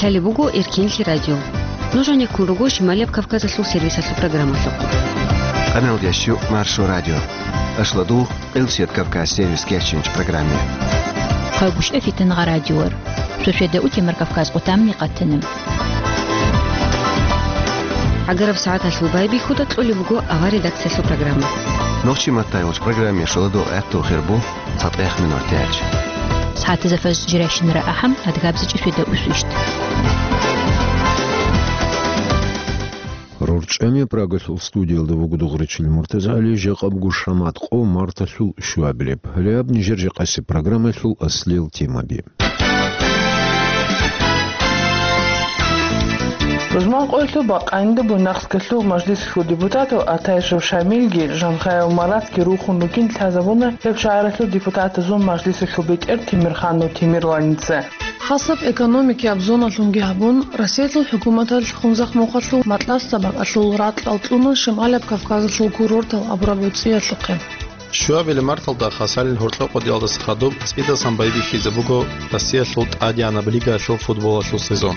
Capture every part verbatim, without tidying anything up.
Лъалеб буго Эркенлъи радио. Нуж гьанеккун руго Шималияб Кавказалъул сервисалъул программалъухъ. Къаналдиящу Маршо радио. Ашладу Элсет Кавказ сервис кечинч программе. Хъайбушев Фитнагъа радиор. Шошеда утемар Кавказ къутамни къатана. ГӀагараб сагӀаталъул байбихьуда кьолеб буго авар редакциялъул программа. Нохчи маттайулч программе шоладо гӀатту хирбу. ЦатӀех минор тяч. СагӀатазда фажр жиращинара ахӀам, адгабза чӀушида усвищт. РорчӀами Прагалъул студиялда вуго дугъричил МуртазагӀали, жакъаб гушамат къо марталъул щуабилеб. Гьале гьаб нижер жакъасеб программалъул аслел темаби. Рузман къоялъул бакъанде Буйнакскалъул мажлисалъул депутатал Атайшев Шамилги Жанхаев Маратги рухун ругин лъазабуна гьеб шагьаралъул депутатазул мажлисалъул бетӀер Темирханов Темирланица. Хасаб экономикияб зоналъунги гьабун, Россиялъул хӀукуматалъ Хунзахъ мухъалъул Матласда бакӀалъул ракьал кьуна Шималияб Кавказалъул курортал абураб гӀуцӀиялъухъе. Щуабилеб марталда Хасалил гьоркьоб къотӀиялдаса хадуб цӀидасан байбихьизе буго Россиялъул тӀадегӀанаб лигаялъул футболалъул сезон.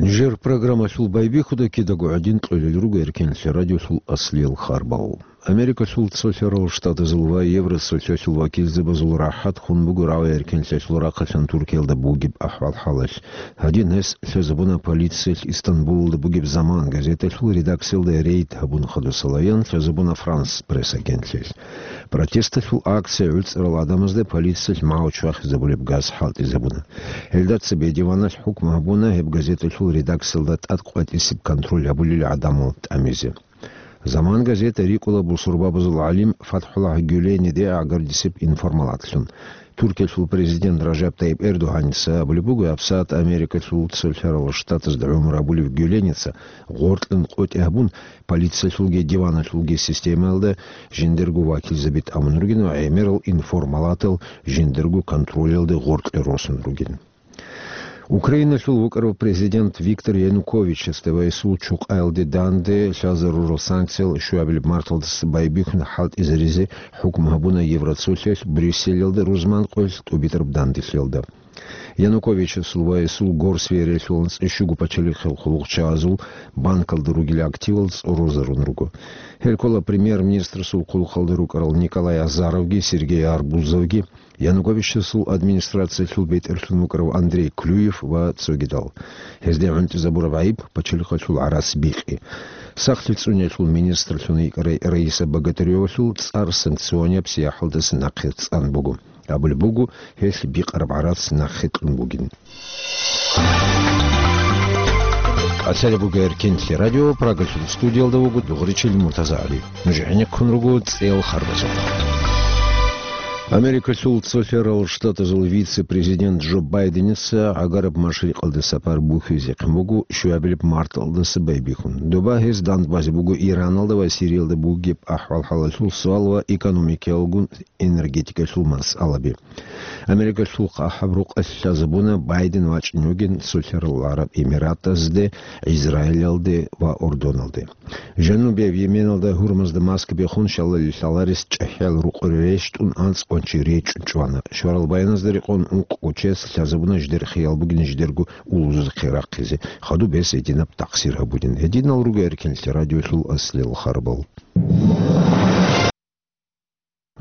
Нижер программалъул байбихьуда кидаго гӀадин кьолел руго Эркенлъи радиолъул аслиял харбал. Америкалъул цолъарал штатазул ва Евросоциалъул вакилзабазул рахӀат хун буго рагӀи Эркенлъиялъул рахъалъан Туркиялда бугеб ахӀвал-хӀалалъ. Гьадин гьес лъазабуна полициялъ Истанбулалда бугеб «Заман» газеталъул редакциялда рейд гьабун хадусалаян лъазабуна «Франс Пресс» агентлъиялъ. Протесталъул акция гӀуцӀарал гӀадамазда полициялъ магӀу чвахизабулеб газ хӀалтӀизабуна. Гьелда цебе диваналъ хӀукму гьабуна гьеб газеталъул редакциялда тӀад къватӀисеб контроль гьабулел гӀадамал тӀамизе. «Заман» газета рикӀкӀула бусурбабазул гӀалим ФатхӀуллагь Гюлениде гӀагардисеб информалатлъун. Туркиялъул президент Ражаб Тайип Эрдогьаница абулеб буго, гьабсагӀат Америкалъул цолъарал штатазда гӀумру гьабулев Гюленица гъоркьан къотӀи гьабун, полициялъулги диваналъулги системаялда жиндирго вакилзаби тӀамун ругин ва гӀемерал информалатал жиндирго контролялде гъоркье росун ругин. Украиналъул вукӀарав президент Виктор Януковичасда ва гьесул чукъаялде данде лъазарурал санкциял щуабилеб марталдаса байбихьун хӀалтӀизаризе хӀукму гьабуна Евроцолъиялъ Брюсселалда рузман къоялъ тӀубитӀараб данделъиялда. Януковичасул ва гьесул горсвериялъул анцӀила щуго пачалихъал хъулухъчагӀазул банкалда ругел активал цӀорозарун руго. Гьел ккола премьер-министрасул хъулухъалда рукӀарал Николай Азаровги Сергей Арбузовги, Януковичасул администрациялъул бетӀерлъун вукӀарав Андрей Клюев ва цогидал. Гьезде гӀунтӀизабураб гӀайиб пачалихъалъул гӀарац бикъи. Сахлъи цӀуниялъул министрлъун йикӀарай Раиса Богатыревалъул цӀар санкционияб сияхӀалдаса нахъе цӀан буго. Абулеб буго, гьелъ бикъараб гӀарац нахъе кьун бугин. Лъалеб буго Эркенлъи радио, Прагалъул студиялда вуго дугъричил МуртазагӀали. Нуж гӀенеккун руго цӀел харбазухъ. Америкалъул цолъарал штатазул вице-президент Джо Байденица гӀагараб машрикъалде сапар бухьизехъин буго щуабилеб марталдаса байбихьун. Доба гьес дандбазе буго Ираналда ва Сириялда бугеб ахӀвал-хӀалалъул суал ва экономикаялгун энергетикалъул масъалаби. Америкалъул хъахӀаб рукъалъ лъазабуна Байден вачӀине вугин Цолъарал ГӀараб Эмиратазде, Израилалде ва Урдуналде. Жанубияб Йеменалда гьурмазда маска бехун, шалали лъаларес чӀахӀиял рукъури рещтӀун анцӀ къванчи речӀчӀун чӀвана. Шварал баяназда рекъон ункъго чияс лъазабуна жидер хиял бугин жидерго улузухъе рахъизе, хадуб гьес гьединаб такъсир гьабулин. Гьединал руго Эркенлъи радиолъул аслиял харбал.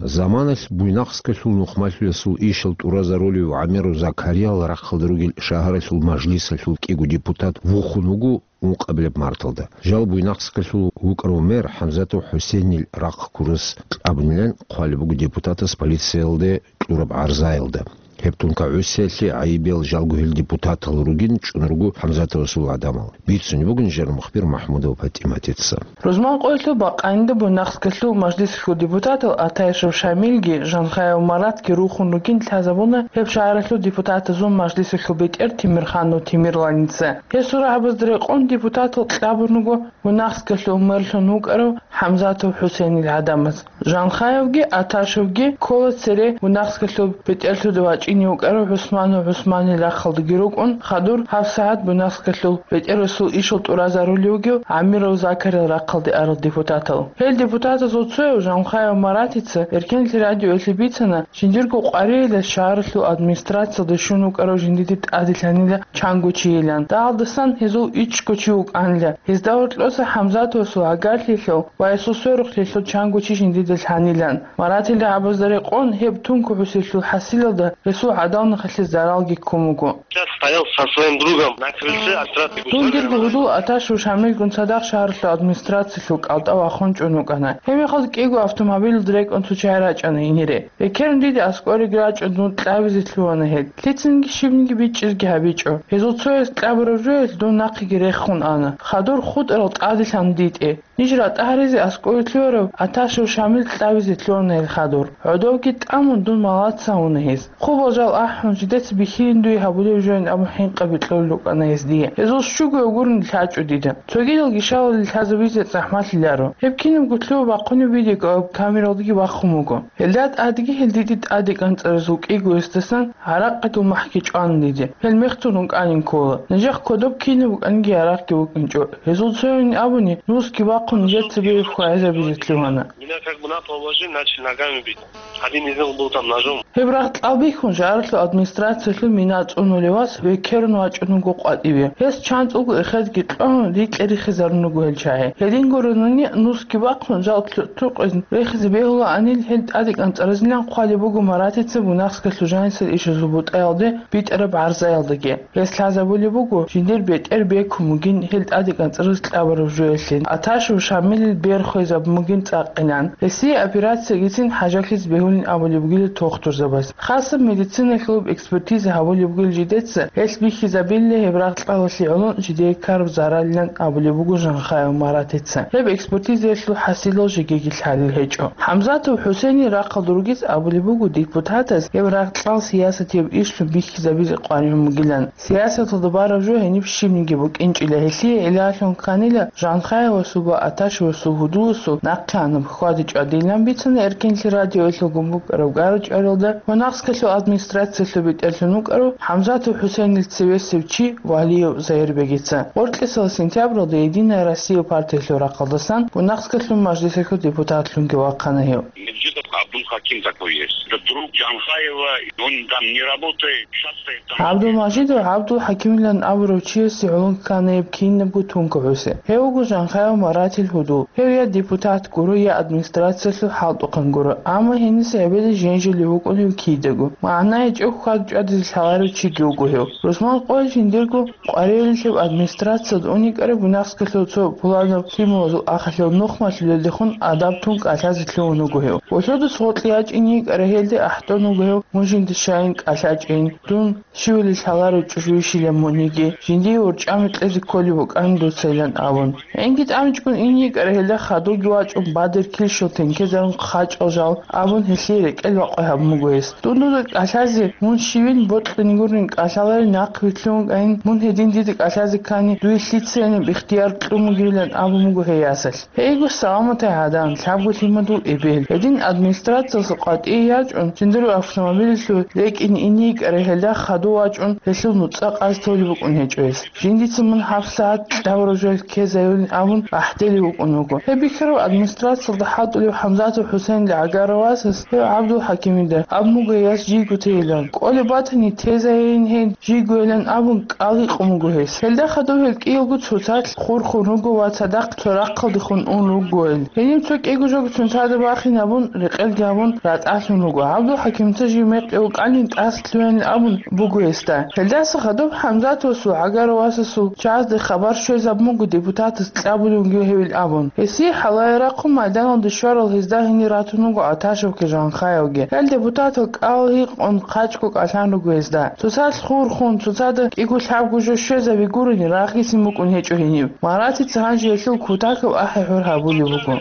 Заманалъ Буйнакскалъул нухмалъулесул ишал тӀуразарулев ГӀамеру Закариял рахъалда ругел шагьаралъул мажлисалъул кӀиго депутат вухун вуго ункъабилеб марталда. Жал Буйнакскалъул вукӀарав мэр ХӀамзатов ХӀусейнил рахъ ккурас кьабунилан хъвалеб буго депутатас полициялде кьураб гӀарзаялда. Гьеб тункагӀусиялъе гӀайибиял жалго гьел депутатал ругин чӀун руго ХӀамзатовасул гӀадамал. Бицунеб бугин жер мухбир МахӀмудова ПатӀиматица. Рузман къоялъул бакъанде Буйнакскалъул мажлисалъул депутатал Атайшев Шамилги Жанхаев Маратги рухун ругин лъазабуна гьеб шагьаралъул депутатазул мажлисалъул бетӀер Темирханов Темирланица. Гьесул рагӀабазда рекъон депутатал кьабун руго Буйнакскалъул мэрлъун вукӀарав ХӀамзатов ХӀусейнил гӀадамаз. Жанхаевги Аташевги ккола цере Буйнакскалъул бетӀерлъуда вачӀи чӀине вукӀарав ГӀусманов ГӀусманил рахъалдаги рукӀун, хадур гьаб сагӀат Буйнакскалъул бетӀерасул ишал тӀуразарулев вугев ГӀамиров Закарил рахъалде арал депутатал. Гьел депутатазул цояв Жанхаев Маратица Эркенлъи радиоялъе бицана, жиндирго къваригӀелалъ шагьаралъул администрациялде щун вукӀарав жиндиде тӀаделъанила чанго чийилан. Дагьалдасан гьезул ичӀго чи вукӀанила. Гьезда гьоркьоса ХӀамзатовасул гӀагарлъиялъул ва гьесул сверухълъиялъул чанго чи жиндида лъанилан. Маратил рагӀабазда рекъон гьеб тункӀ гӀусилъул хӀасилалда гьесул гӀадамалихъе заралги ккун буго. Сейчас стоял со своим другом на крыльце администрации. Дун дирго гьудул Аташев Шамилгун цадахъ шагьаралъул администрациялъул кӀалтӀа вахун чӀун вукӀана. Гьебмехалда кӀиго автомобилалда рекӀун цо чагӀи рачӀана гьенире. Бекерун дида аскӀореги рачӀун дун кьабизе лъугьана гьел. Лъицаниги щибниги бичӀчӀизеги гьабичӀо. Гьезул цояс кьабураб жоялъ дун нахъеги рехун ана. Хадур хутӀарал тӀаделъана дитӀе. Ниж ратӀа гьаризе аскӀове лъугьарав Аташев Шамил кьабизе лъугьана гьел хадур. ГӀодовги тӀамун дун малаца гьуна гьез. Хъубал жал ахӀун, жидеца бихьилин дуе гьабулев жоян абун хӀинкъаби кьолел рукӀана гьез дие. Гьезул щуго гурун лъачӀо дида. Цогидал гишалали лъазабизе захӀмалъиларо. Гьеб кинабго лъугьа бахъунеб видеокамералдаги бахъун буго. Гьелда тӀадги гьел диде тӀаде кӀанцӀаразул кӀиго гьесдасан гӀаракъидул махӀги чӀван диде. Гьел мехтун рукӀанин ккола. Нижехъ кодоб кинаб букӀаниги ярагъги букӀинчӀо. Гьезул цоян абуни, нусги бахъун нижеца бегьухъ хвагӀизабизе лъугьана. Меня как бы на пол вложили, начали ногами бить. Один из них был там ножом. Гьеб рагъ кьалбихьун шагьаралъул администрациялъул мина цӀунулев вас векерун вачӀун вуго къватӀиве. Гьес чанцӀулго эхезги кьогьун рикьа-рихизарун руго гьел чагӀи. Гьедин гуронани нусги бахъун жал лъутӀукъин рехизе бегьулаанил гьел тӀаде кӀанцӀаразилан хъвалеб буго Маратица Буйнакскалъул жанисел ишазул бутӀаялде битӀараб гӀарзаялдаги. Гьес лъазабулеб буго, жиндир бетӀер бекун бугин гьел тӀаде кӀанцӀараз кьабураб жоялъе, Аташев Шамилил бер хвезабун бугин цӀакъилан. Гьесие операциягицин хӀажалъиз бегьулин абулеб бугила тухтурзабаз. Хасаб медициналъулаб экспертиза гьабулеб бугила жидеца, гьелъ бихьизабила гьеб рагъ кьалалъе гӀоло жидее ккараб заралилан абулеб буго Жанхаев Маратица. Гьеб экспертизаялъул хӀасилал жегиги лъалел гьечӀо. ХӀамзатов ХӀусейнил рахъалда ругез абулеб буго депутатаз гьеб рагъ кьал сиясатияб ишлъун бихьизабизе къваригӀун бугилан. Сиясаталда бараб жо гьениб щибниги букӀинчӀила, гьелъие гӀиллалъун кканила Жанхаевасул ва Аташевасул гьудуласул нахъе анаб хьвади чӀвадилан бицана Эркенлъи радиоялъулгун букӀараб гара-чӀваралда, Буйнакскалъул администрациялъул бетӀерлъун вукӀарав ХӀамзатов ХӀусейнил цевесев чи Валиев Загьирбегица. Гъоркьисал сентябралда Единая Россия партиялъул рахъалдасан Буйнакскалъул мажлисалъул депутатлъунги вахъана гьев. Меджидов Абдул Хаким такой есть. Это друг Джанхаева, он там не работает, часто там. ГӀабдулмажидов ГӀабдул Хакимилан абурав чиясе гӀоло ккана гьеб кинабго тункӀ гӀуси. Гьев вуго Жанхаев Маратил гьудул. Гьев я депутат гуро, я администрациялъул хӀалтӀухъан гуро, амма гьениса гьебеда женжулев вукӀун гьев кидаго. МагӀна гьечӀеб хьвад-чӀвадизе лъаларев чиги вуго гьев. Русман къоялъ жиндирго къваригӀелалъеб администрациялда ун йикӀарай Буйнакскалъул цо пуланаб лъималазул ахалъул нухмалъулелдехун адаб тун кӀалъазе лъугьун вуго гьев. Вугьудас гъоркье ячӀин йикӀарай гьелде ахӀдон вуго гьев, мун жинда щайин кӀалъачӀин, дун щивали лъаларев чӀужу вищила муниги, жиндие урчӀами кьезе кколеб букӀана дуцайилан абун. ГӀинги тӀамичӀгун ин йикӀарай гьелда хадурги вачӀун бадер килщал тенкезарун хъачӀал жал абун гьелъие рекӀел бакъвай гьабун буго гьес. Дун дуда кӀалъазе, мун щивин бокьани гурин кӀалъаларин нахъ вилълъун вукӀайин, мун гьедин дида кӀалъазе ккани, дуе лъицайинаб ихтияр кьун бугилан абун буго гьей ясалъ. Гьейго, саламатай гӀадан, лъабго лъимадул эбел. Гьедин администрациялъул къватӀие ячӀун, жиндирго автомобилялъул рекӀин ин йикӀарай гьелда хадув вачӀун, гьелъул нуцӀа къаз толеб букӀун гьечӀо гьес. Жиндица мун гьабсагӀат кьабураб жоялъ ккезайилин абун ахӀделев вукӀун вуго. Гьеб бихьарав администрациялда хӀалтӀулев ХӀамзатов ХӀусейнил гӀагарав васас гьев ГӀабдул Хакимида абун буго гьей яс жийго тейилан. КӀолеб батани, тезайин гьей жийгойилан абун кӀал гьикъун буго гьес. Гьелда хадув гьел кӀиялго цоцалъ хурхун руго ва цадахъ цо рахъалдехун ун ругойил. Гьениб цо кӀиго жого цоцазда бахинабун, рекъелги гьабун, ратӀалъун руго. ГӀабдул Хакимица жив мекъи вукӀанин тӀаса лъугьанин абун буго гьесда. Гьелдаса хадуб ХӀамзатовасул гӀагарав васасул чагӀазде хабар щвезабун буго депутатас кьабулеб бугев гьевил абун. Гьесие хӀалае рахъун майданалде щварал гьезда гьенир ратун вуго Аташевги Жанхаевги. Гьел депутатал кӀал гьикъун хъачӀго кӀалъан руго гьезда. Цоцалъ хурхун, цоцазда кӀиго-лъабго жо щвезаби гурони, рагъгицин букӀун гьечӀо гьениб. Маратица гьанже гьелъул кутакаб ахӀи-гьур гьабулеб буго.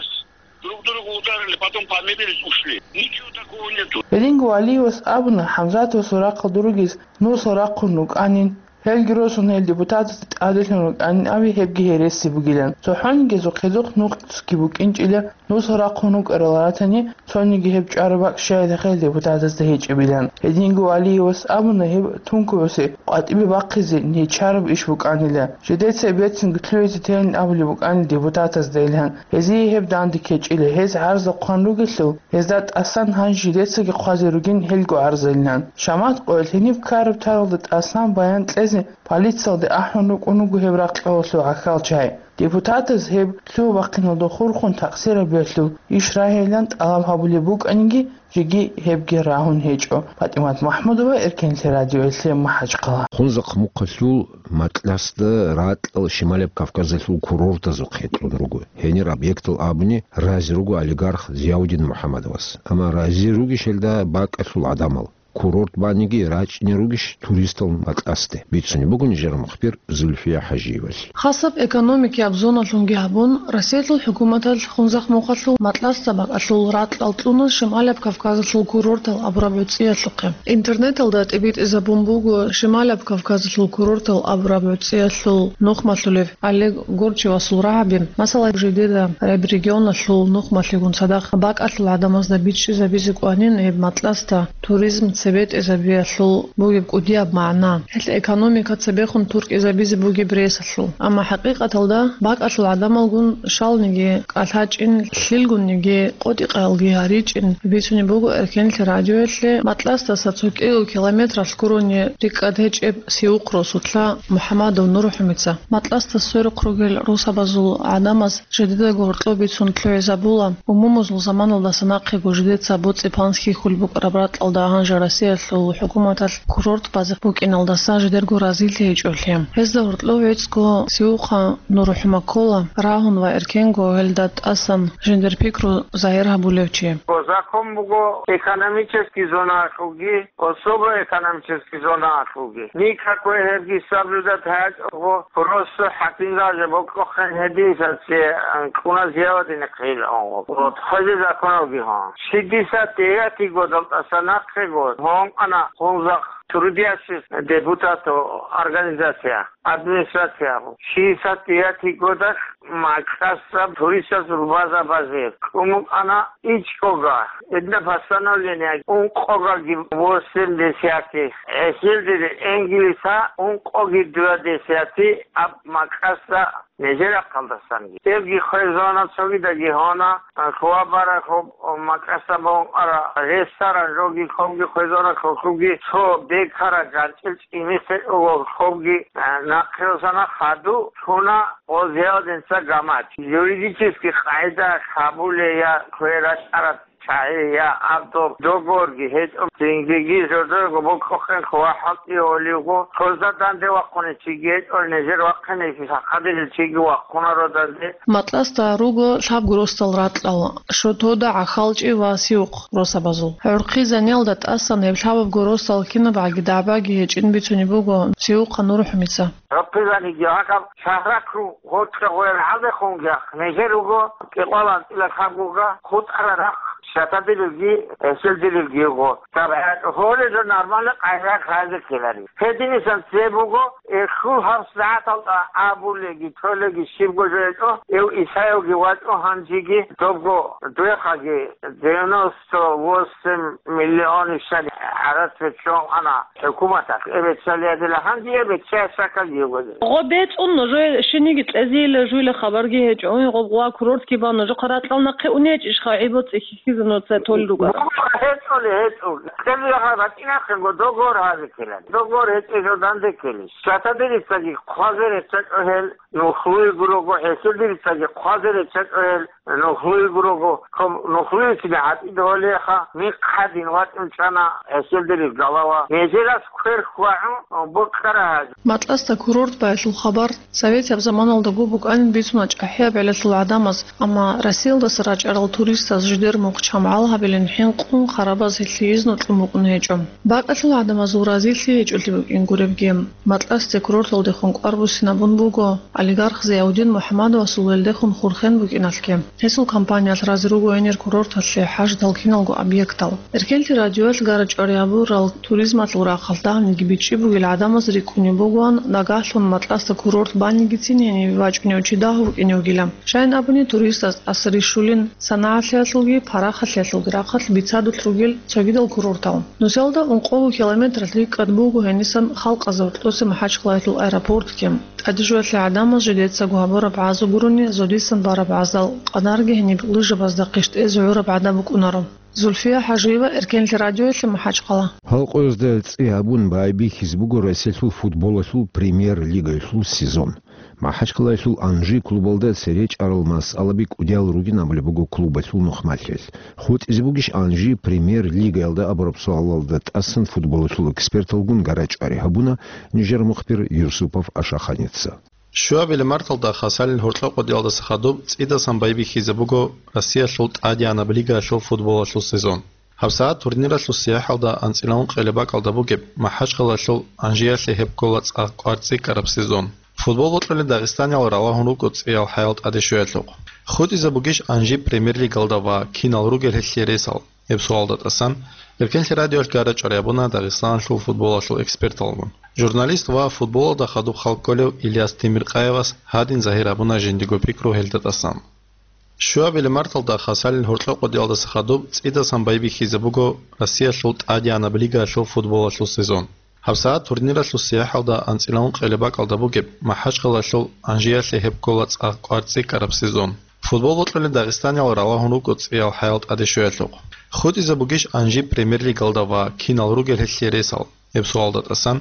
Друг друга ударили, потом помирились, ушли. Ничего такого нету. Гьединго Валиевас абуна, ХӀамзатовасул рахъалда ругез нусал рахъун рукӀанин, Гьелги росун гьел депутатазда тӀаделъун рукӀанин аби гьебги гьереси бугилан. ЦохӀонигезухъ гьезухъ нухъги букӀинчӀила, нусал рахъун рукӀарал ратани, цониги гьеб чӀвараб бакӀ щайилха гьел депутатазда гьечӀебилан. Гьединго Валиевас абуна, гьеб тункуюсе къватӀибе бахъизе нечараб иш букӀанила. Жидеца бецинги лъугьизе тейин абулеб букӀанила депутатазда илан. Гьезие гьеб данде ккечӀила, гьез гӀарза хъван ругелъул, гьезда тӀасан гьанже жидецаги хъвазе ругин гьелго гӀарзайилан. Шамат къоялъ гьениб ккараб таралда тӀасан баян кьезе полициялде ахӀун рукӀун руго гьеб ракьалалъул гӀахьалчагӀи. Депутатаз гьеб лъугьа-бахъиналда хурхун такъсир гьабиялъул иш рагьейилан тӀалаб гьабулеб букӀаниги, жеги гьебги рагьун гьечӀо. ПатӀимат МахӀмудова, Эркенлъи радиоялъе, МахӀачхъала. Хунзахъ мухъалъул Матласда ракьал Шималаб Кавказалъул курортазухъ гьетӀун руго. Гьенир объектал абуни рази руго олигарх Зияудин МухӀаммадовас. Амма рази ругищ гьелда бакӀалъул гӀадамал? Курорт баниги рачӀине ругищ туристал Матласде? Бицунеб буго нижер мухбир Зульфия ХӀажиевалъ. Хасаб экономикияб зоналъунги гьабун, Россиялъул хӀукуматалъ Хунзахъ мухъалъул Матласда бакӀалъул ракьал кьуна Шималаб Кавказалъул курортал абураб гӀуцӀиялъухъе. Интернеталда тӀибитӀизабун буго Шималаб Кавказалъул курортал абураб гӀуцӀиялъул нухмалъулев Олег Горчевасул рагӀаби, масала, жидеда гьеб регионалъул нухмалъигун цадахъ бакӀалъул гӀадамазда бичӀчӀизабизе кӀванин гьеб Матласда туризм цебетӀезабиялъул бугеб кӀудияб магӀна. Гьелъ экономика цебехун туркӀизабизе бугеб ресалъул. Амма хӀакъикъаталда бакӀалъул гӀадамалгун щалниги кӀалъачӀин, лъилгунниги къотӀи-къалги гьаричӀин, бицунеб буго Эркенлъи радиоялъе Матласдаса цо кӀиго километралъ гурони рикӀкӀад гьечӀеб Сиухъ росулъа МухӀаммадов НурхӀумица. Матласда сверухъ ругел росабазул гӀадамаз жидедаго гьоркьоб бицун лъугӀизабула, умумузул заманалдаса нахъего жидеца боцӀи-панс хьихьулеб букӀараб ракьалда гьанже Россиялъул хӀукуматалъ курорт базе букӀиналдаса жидерго разилъи гьечӀолъи. Гьезда гьоркьов гӀицӀго Сиухъа НурхӀума ккола, рагьун ва эркенго гьелда тӀасан жиндир пикру загьир гьабулев чи. Закон буго, экономический зоналъулги, особо экономический зоналъулги. Никакой гьебги соблюдать гьечӀого, просто хӀакимзабазе бокьухъен гьединса цее, ан, кьуна Зияудине хъилаон. Вот, хвезе законалги гьан. Шестьдесят девятый годал тӀаса нахъего гьон ана Хунзахъ трудящийся депутат организация, администрация. Шестьдесят девятый годалъ Матласда туристазул база базе кьун букӀана ичӀого. Гьедина постановление ункъоги восемь десятых, гьесилдир энгилиса ункъоги два десятых аб Матласда нижер рахъалдасанги. Гьебги хвезана, цогидаги гьона, хьвабаралъуб Матласда букӀараб ресторан жоги хобги хвезана, хобги цо бекараб ганчӀил цӀинисел хобги, э, нахъе росана, хаду лъуна. О, Зияудинца гамач. Юридический къагӀида гьабулей я кверачӀараб чагӀи, я абдул договорги гьечӀо, цинги жодорго бокьухъен хъула хӀалтӀи гьолиго, хъузда данде вахъунев чиги гьечӀо, нижер вахъинеги сахадилел чиги вахъунаро данде. Матласда руго лъабго росдал ракьал: Шотода, ГӀахьалчӀи ва Сиухъ росабазул. ГӀурхъи заниялда тӀасан гьеб лъабабго росдал кинабгӀаги дагӀбаги гьечӀин бицунеб буго Сиухъа НурхӀумица. ГӀурхъи заниги гьакъаб шагьралъул гъоркье гъоял гӀадехунги нижер руго кӀикъоялда анцӀила лъабгога хутӀарал рахъ, щатадилелги, гьесилдилелги йиго. Гьеб гьечӀо гьолеб жо нормально къайгъа хъазе ккелари. Гьединисан цебе буго, эху гьаб сагӀаталда абулеги, толеги щибго жо гьечӀо, эв Исаевги вачӀо гьанжеги, добго дуехъаги девяносто восемь миллион ишали гӀарац беччун ана хӀукуматалъ. Эб беччалиядила гьанже эб беччая шаккалги йиго. Гъо бецӀун нужее шиниги кьезейила жуйла хабарги гьечӀо. Гъоб гъуа курортги бан, нужехъа ракьал нахъе унечӀищха гӀибо цӀихьихьизе нуца толел ругара? ГьечӀоли, гьечӀо. КьезегӀан батӀинахъего договор гьазе ккелали. Договор гьечӀеб жо данде ккелищ? Щатадирицаги хъвазе реччачӀо гьел, нухлуй гурого, гьесилдирицаги хъвазе реччачӀо гьел, нухлуй гурого. Ком-, нухлуйцин гьатӀида гьолеха, михъ гьадин вачӀун чӀана гьесилдирив галава. Нижерас квер хьвагӀун бокьара гьази. Матласда курорт байялъул хабар советияб заманалдаго букӀанин бицуна чӀахӀияб гӀелалъул гӀадамаз, амма Россиялдаса рачӀарал туристаз жидер мухъ чамгӀал гьабилин хӀинкъун, харабаз гьелъие изну кьун букӀун гьечӀо. Бакъалъул гӀадамазул разилъи гьечӀолъи букӀин гуребги, Матласде курорталдехун кӀвар буссинабун буго олигарх Зияудин МухӀаммадовасул велдехун хурхен букӀиналъги. Гьесул компаниялъ рази руго гьенир курорталъе хӀаждал киналго объектал. Эркенлъи радиоялъ гара-чӀвари гьабурал туризмалъул рахъалъ дагьабниги бичӀчӀи бугел гӀадамаз рикӀкӀунеб бугоан, нагагьлъун Матласда курорт банигицин гьенибе бачӀунев чи дагьав вукӀине вугила. Щайин абуни, туристаз тӀаса рищулин, санагӀалъиялъулги парахалъиялъулги рахъалъ бицадулъ ругел цогидал курортал. Нусиялда ункъого километралъ рикӀкӀад буго гьенисан халкъазда гьоркьоса МахӀачхъалаялъул аэропортги. ТӀадежоялъе гӀадамаз жидецаго гьабураб гӀазу гурони, зодисан бараб гӀаздал къадарги гьениб лыжабазда къищтӀезе гӀураб гӀадаб букӀунаро. Зульфия ХӀажиева, Эркенлъи радиоялъе, МахӀачхъала. Халкъоязда цӀи гьабун байбихьизе буго Россиялъул футболалъул премьер-лигаялъул сезон. МахӀачхъалаялъул «Анжи» клубалда цере чӀарал масъалаби кӀудиял ругин абулеб буго клубалъул нухмалъиялъ. ХутӀизе бугищ «Анжи» премьер-лигаялда абураб суалалда тӀасан футболалъул эксперталгун гара-чӀвари гьабуна нижер мухбир Юсупов Ашаханица. Щуабилеб марталда хасалил гьоркьоб къодиялдаса хадуб цӀидасан байбихьизе буго Россиялъул тӀадегӀанаб лигаялъул футболалъул сезон. ГьабсагӀат турниралъул сияхӀалда анцӀила ункъелеб бакӀалда бугеб МахӀачхъалаялъул «Анжиялъе» гьеб ккола цӀакъ кӀвар цӀикӀкӀараб сезон. Футбол бокьулел дагъистаниял ралагьун руго цӀиял хӀаял тӀаде щвеялъухъ. ХутӀизе бугищ «Анжи» премьер-лигалда ва кинал ругел гьелъие ресал? Гьеб суалда тӀасан Эркенлъи радиоялъ гара-чӀвари гьабуна Дагъистаналъул футболалъул эксперталгун. Журналист ва футболалда хадуб хал кколев Ильяс Темиркъаевас гьадин загьир гьабуна жиндиго пикру гьелда тӀасан. Щуабилеб марталда хасалил гьоркьоб къодиялдаса хадуб цӀидасан байбихьизе буго Россиялъул тӀадегӀанаб лигаялъул футболалъул сезон. ГьабсагӀат турниралъул сияхӀалда анцӀила ункъелеб бакӀалда бугеб МахӀачхъалаялъул «Анжиялъе» гьеб ккола цӀакъ кӀвар цӀикӀкӀараб сезон. Футбол бокьулел дагъистаниял ралагьун руго цӀиял хӀаял тӀаде щвеялъухъ. ХутӀизе бугищ «Анжи» премьер-лигалда ва кинал ругел гьелъие ресал? Гьеб суалда тӀасан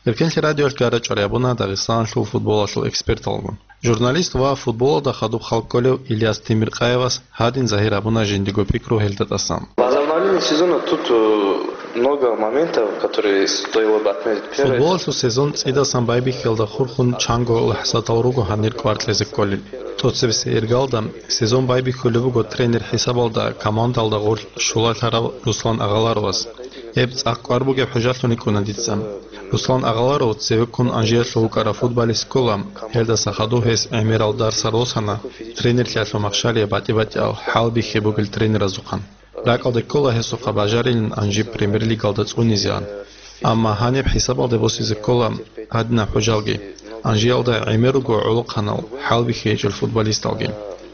Эркенлъи радиоялъ гара-чӀвари гьабуна Дагъистаналъул футболалъул эксперталгун. Журналист ва футболалда хадуб хал кколев Ильяс Темиркъаевас гьадин загьир гьабуна жиндиго пикру гьелда тӀасан. Возобновление сезона тут, э, много моментов, которые стоило бы отметить. Первое, это... Футболалъул сезон цӀидасан байбихьиялда хурхун чанго лахӀзатал руго гьанир кӀвар кьезе кколел. ТӀоцебесеб иргалда сезон байбихьулеб буго тренер хӀисабалда командалда гъорлъ щулалъарав Руслан Агъаларовас. Гьеб цӀакъ кӀвар бугеб хӀужалъун йикӀуна дица. Руслан Агъаларов цевеккун Анжиялъув вукӀарав футболист ккола, гьелдаса хадув гьес гӀемерал дарсал росана тренерлъиялъул махщалие батӀи-батӀиял хӀалбихьи бугел тренеразухъан. РакӀалде ккола гьесухъа бажарилин Анжи премьер-лигалда цӀунизеан. Амма гьаниб хӀисабалде босизе ккола гьадинаб хӀужалги, Анжиялда гӀемер руго гӀолохъанал хӀалбихьи гьечӀел футболисталги.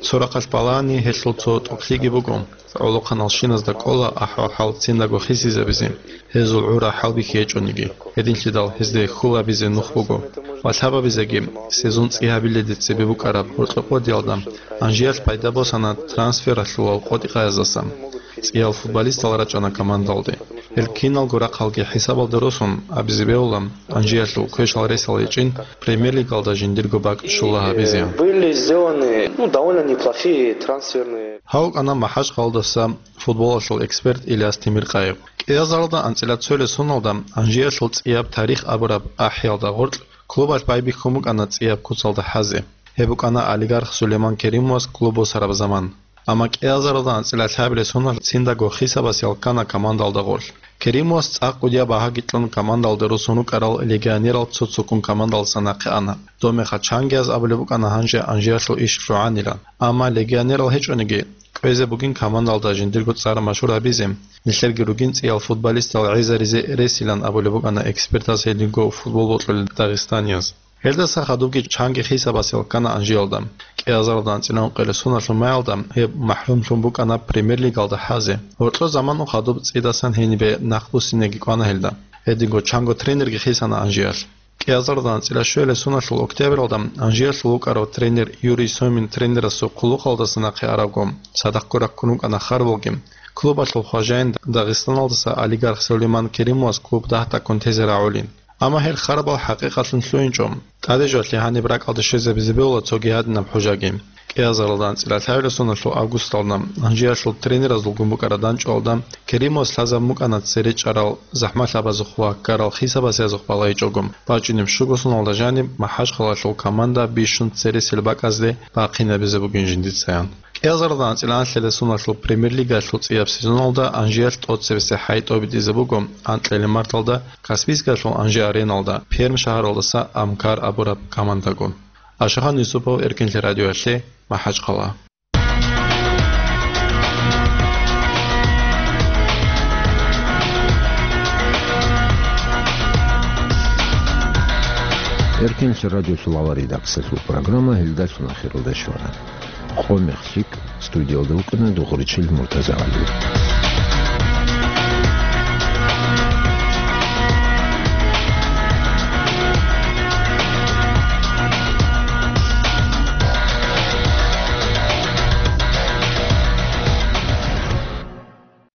Цо рахъалъ балагьани, гьелъул цо тӀокӀлъиги буго. ГӀолохъаналщиназда кӀола ахӀвал-хӀал циндаго хисизабизе, гьезул гӀура хӀалбихьи гьечӀониги, гьединлъидал гьезде хьул гьабизе нух буго ва лъабабизеги сезон цӀи гьабиледе цебе букӀараб гьоркьоб къодиялда Анжиялъ пайда босана трансфералъул къотӀи-къаяздасан. ЦӀиял футболистал рачӀана командалде. Гьел киналго рахъалги хӀисабалде росун абизе бегьула, Анжиялъул квешал ресал гьечӀин премьер-лигалда жиндирго бакӀ щула гьабизе. Были сделаны, ну, довольно неплохие трансферные. Гьав вукӀана МахӀачхъалдаса футболалъул эксперт Ильяс Темиркъаев. КӀиазаралда анцӀила цоялъ соналда Анжиялъул цӀияб тарих абураб ахӀиялда гъоркь клубалъ байбихьун букӀана цӀияб куцалда хӀазе. Гьеб букӀана олигарх Сулейман Керимовас клуб босараб заман. Амма кӀиазаралда анцӀила лъабилеб соналъ циндаго хисабас ял ккана командалда гъорлъ. Керимовас цӀакъ кӀудияб багьаги кьун командалда росун рукӀарал легионерал цо-цоккун командалдаса нахъе ана. Доб мехалъ чангияз абулеб букӀана гьанже Анжиялъул иш лъугӀанилан. Амма легионерал гьечӀониги, кӀвезе бугин командалда жиндирго цӀар машгьур гьабизе, нилъерги ругин цӀиял футболистал гӀезаризе ресилан абулеб букӀана экспертаз гьединго футбол бокьулел дагъистанияз. Гьелдаса хадубги чанги хисабас ял ккана Анжиялда. КӀиазаралда анцӀила ункъелеб соналъул маялда гьеб махӀрумлъун букӀана премьер-лигалда хӀазе. Гьоркьо заман хадуб цӀидасан гьенибе нахъ буссинеги кӀвана гьелда. Гьединго чанго тренерги хисана Анжиялъ. КӀиазаралда анцӀила щуялъ соналъул октябралда Анжиялъул вукӀарав тренер Юрий Сомин тренерасул хъулухъалдаса нахъе аравго, цадахъго раккун рукӀана харбалги, клубалъул хважаин Дагъистаналдаса олигарх Сулейман Керимовас клуб дагь-дагьккун тезе рагӀулин. Амма гьел харбал хӀакъикъатлъун лъугьинчӀо. ТӀадежалъе гьаниб ракӀалде щвезабизе бегьула цоги гьадинаб хӀужаги. КӀиазаралда анцӀила лъабилеб соналъул августалда Анжиялъул тренеразулгун букӀараб дандчӀвалда Керимовас лъазабун букӀана цере чӀарал, захӀмалъабазухъ ва ккарал хисабасазухъ балагьичӀого, бачӀунеб щуго соналда жаниб МахӀачхъалаялъул команда бищун цересел бакӀазде бахъинабизе бугин жиндицаян. КӀиазаралда анцӀила анлъила суналъул Премьер-лигалъул цӀияб сезоналда Анжеялъ тӀоцебесеб хӀай тӀобитӀизе буго анкьила марталда Каспийскалъул Анжи-ареналда Пермь шагьаралдаса Амкар абураб командаго. Ашахан Юсупов, Эркинлъи радиоялъе, МахӀачхъала. Эркинлъи радиолъул авар редакциялъул программа гьелдалъун ахиралда щвана. Къо-мех лъикӀ, студиялда вукӀана Дугъуричил Муртазагьалиев.